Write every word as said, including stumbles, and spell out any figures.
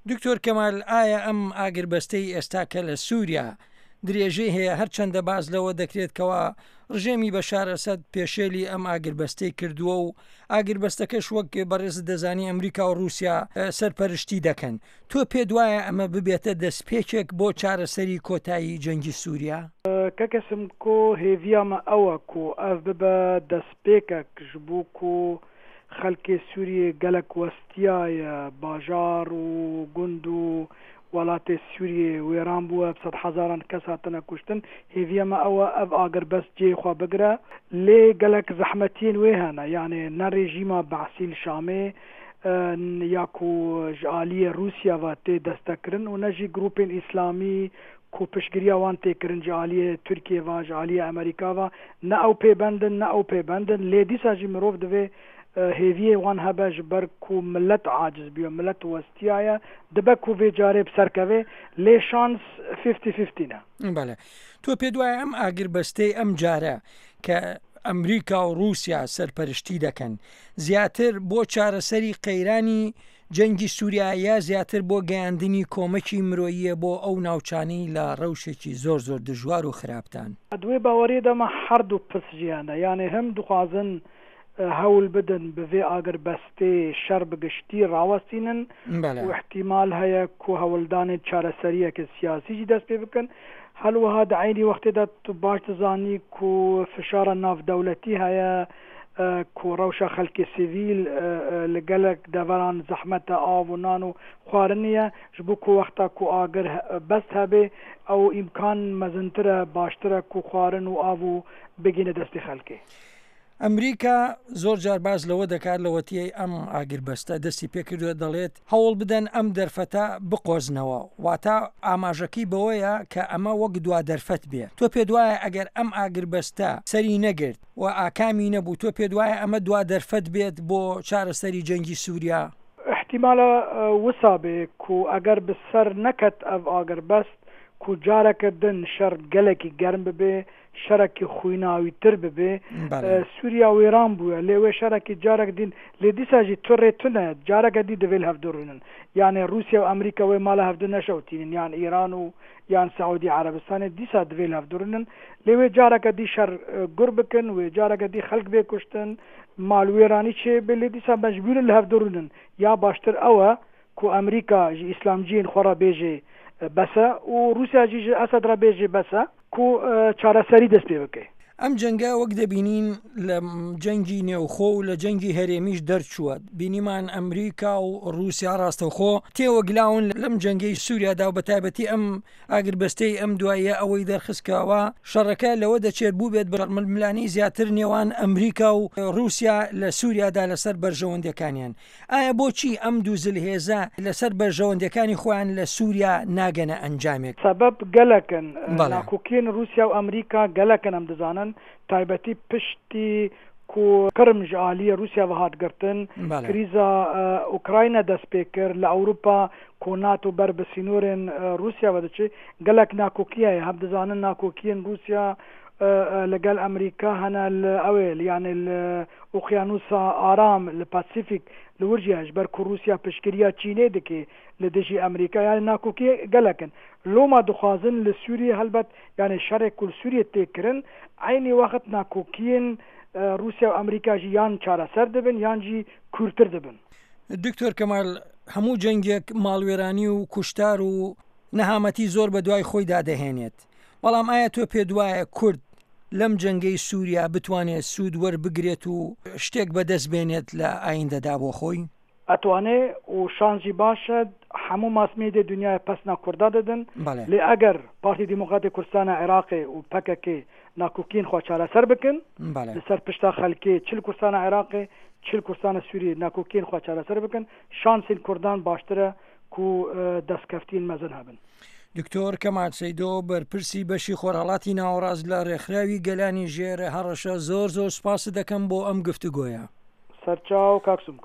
دکتۆر کەمال، ئایا ئەم ئاگربەستەی ئێستا کە لە سووریا درێژەی هەیە، هەرچەندە باس لەوە دەکرێت کەوا ڕژێمی بەشار ئەسەد پێشێلی ئەم ئاگربەستەی کردووە و ئاگربەستەکەش وەک بەڕێزت دەزانی ئەمریکا و ڕووسیا سەرپەرشتی دەکەن، تۆ پێت وایە ئەمە ببێتە دەستپێکێک بۆ چارەسەری کۆتایی جەنگی سووریا؟ کاکە سمکۆ، هێڤیا me ew e ku ev bibe destpêkek ji bo ku xelkê Sûriyê gelek westiyaye, bajar û gund û welatê Sûriyê wêran bûye, bi sed hezaran kes hatine kuştin. Hêviya me ew e ev agirbest cihê xwe bigire, lê gelek zehmetiyên wê hene. Yanê ne rejîma Be'sî li Şamê ya ku ji aliyê Rûsya ve tê destekkirin û ne jî grûpên îslamî ku piştgiriya wan tê kirin ji aliyê Tirkiyê ve, ji aliyê Amerîka ve, ne ew pêbend in, ne ew pêbend in. Lê dîsa jî mirov divê hêviyê wan hebe ji ber ku milet aciz bûye, milet westiyaye, dibe ku vê carê bi ser keve, lê şans fifty fifty ne. بەڵێ. تۆ پێت وایە ئەم ئاگربەستەی ئەم جارە کە ئەمریکا و ڕووسیا سەرپەرشتی دەکەن، زیاتر بۆ چارەسەری قەیرانی جەنگی سووریا یا زیاتر بۆ گەیاندنی کۆمەکی مرۆییە بۆ ئەو ناوچانەی لە ڕەوشێکی زۆر زۆر دژوار و خراپدان؟ Di wê baweriyê de me her du pirs jî hene. Yanê him dixwazin hewl bidin bi vê agirbestê şer bi giştî rawestînin بەڵێ. û îhtîmal heye ku hewldanên çareseriyeke siyasî jî dest pê bikin. Her wiha di eynî wextê de tu baş dizanî ku fişara navdewletî heye, ku rewşa xelkê sivîl li gelek deveran zehmet e, av û nan û xwarinê ye. Ji bo ku wexta ku agir best hebe, ew îmkan mezintir e, baştir e ku xwarin û av û bigihîne destê xelkê. ئەمریکا زۆر جار باس لەوە دەکات لەوەتیەی ئەم ئاگربەستە دەستی پێکردووە، دەڵێت هەوڵ بدەن ئەم دەرفەتە بقۆزنەوە، واتە ئاماژەکەی بەوەیە کە ئەمە وەک دوا دەرفەت بێ. تۆ پێت وایە ئەگەر ئەم ئاگربەستە سەری نەگرت و ئاکامی نەبوو، تۆ پێت وایە ئەمە دوا دەرفەت بێت بۆ چارەسەری جەنگی سووریا؟ احتیمالە وسا بێ ku eger bi ser neket ev agirbest ku careke din şer gelekî germ bibe, şerekî xwînawîtir bibe, بەڵێ. Sûriya wêran bûye, lê wê şerekî carek din, lê dîsa jî tu rê tune, careke dî divê li hev du rûnin. Yani Rûsya û Amerîka wê mala hev du neşewtînin, yan Îran û yan Saûdî Erebistanê dîsa divê li hev du rûnin, lê wê careke dî şer gur bikin, wê careke dî xelk bê kuştin, malwêranî çêbe, lê dîsa mecbûr in li hev du rûnin. Ya baştir ew e ku Amerîka ji îslamciyên xwe re bêje bes e û Rûsya jî ji Esed re bêje bes e ku çareserî dest pê bike. ئەم جەنگە وەک دەبینین لە جەنگی نێوخۆ و لە جەنگی هەرێمیش دەرچووە. بینیمان ئەمریکا و ڕووسیا ڕاستەوخۆ تێوەگلاون لەم جەنگەی سووریادا و بە تایبەتی ئەم ئاگربەستەی ئەم دواییە ئەوەی دەرخست کەوا شەڕەکە لەوە دەچێت بووبێت بە ململانێی زیاتر نێوان ئەمریکا و ڕووسیا لە سووریادا لەسەر بەرژەوەندیەکانیان. ئایا بۆچی ئەم دوو زلهێزە لەسەر بەرژەوەندیەکانی خۆیان لە سووریا ناگەنە ئەنجامێک؟ سەبەب گەلەکن. بەڵێ. ناکۆکیên Rûsya û Amerîka gelekin em dizanin. Taybetî piştî ku Qırım ji aliyê Rûsya ve hat girtin, بەڵێ. krîza Ukrayna dest pê kir, li Ewropa ku NATO ber bi sînorên Rûsya ve diçe, gelek nakokî heye. Hem dizanin nakokiyên Rûsya li gel Amerîka hene li ew ê, yani li Okyanusa Aram, li Pasifik, li wir jî heye, ji ber ku Rûsya piştgiriya Çînê dike li dijî Amerîka, yani nakokî gelek in. Loma dixwazin li Sûriyê helbet, yani şerê ku li Sûriyê tê kirin, eynî wext nakokiyên Rûsya û Amerîka jî yan çareser dibin yan jî kûrtir dibin. دکتۆر کەمال، هەموو جەنگێک ماڵوێرانی و کوشتار و نەهامەتی زۆر بە دوای خۆیدا دەهێنێت، بەڵام ئایا تۆ پێت وایە کورد لەم جەنگەی سووریا بتوانێت سوود وەربگرێت و شتێک بەدەست بێنێت لە ئایندەدا بۆ خۆی؟ ئەتوانێ و شانسی باشە هەموو ماسمێدی دنیای پەسنا کووردا دەدن. بەڵێ. لێ ئەگەر پارتی دیموکراتی کوردستانە عێراقی و پەکەکێ ناکۆکین خۆ چارەسەر بکەن، بەڵێ. لەسەر پشتا خەلکێ چل کوردستانە عێراقی چل کوردستانە سووری ناکۆکین خۆ چارەسەر بکەن، شانسین کوردان باشترە کو دەستکەفتین مەزن هەبن. دکتۆر کەمال سەیدۆ، بەرپرسی بەشی خۆرهەڵاتی ناوەڕاست لە ڕێکخراوی گەلانی ژێر هەڕەشە، زۆر زۆر سوپاست دەکەم بۆ ئەم گفتوگۆیە. سەرچاو کاک سمکۆ.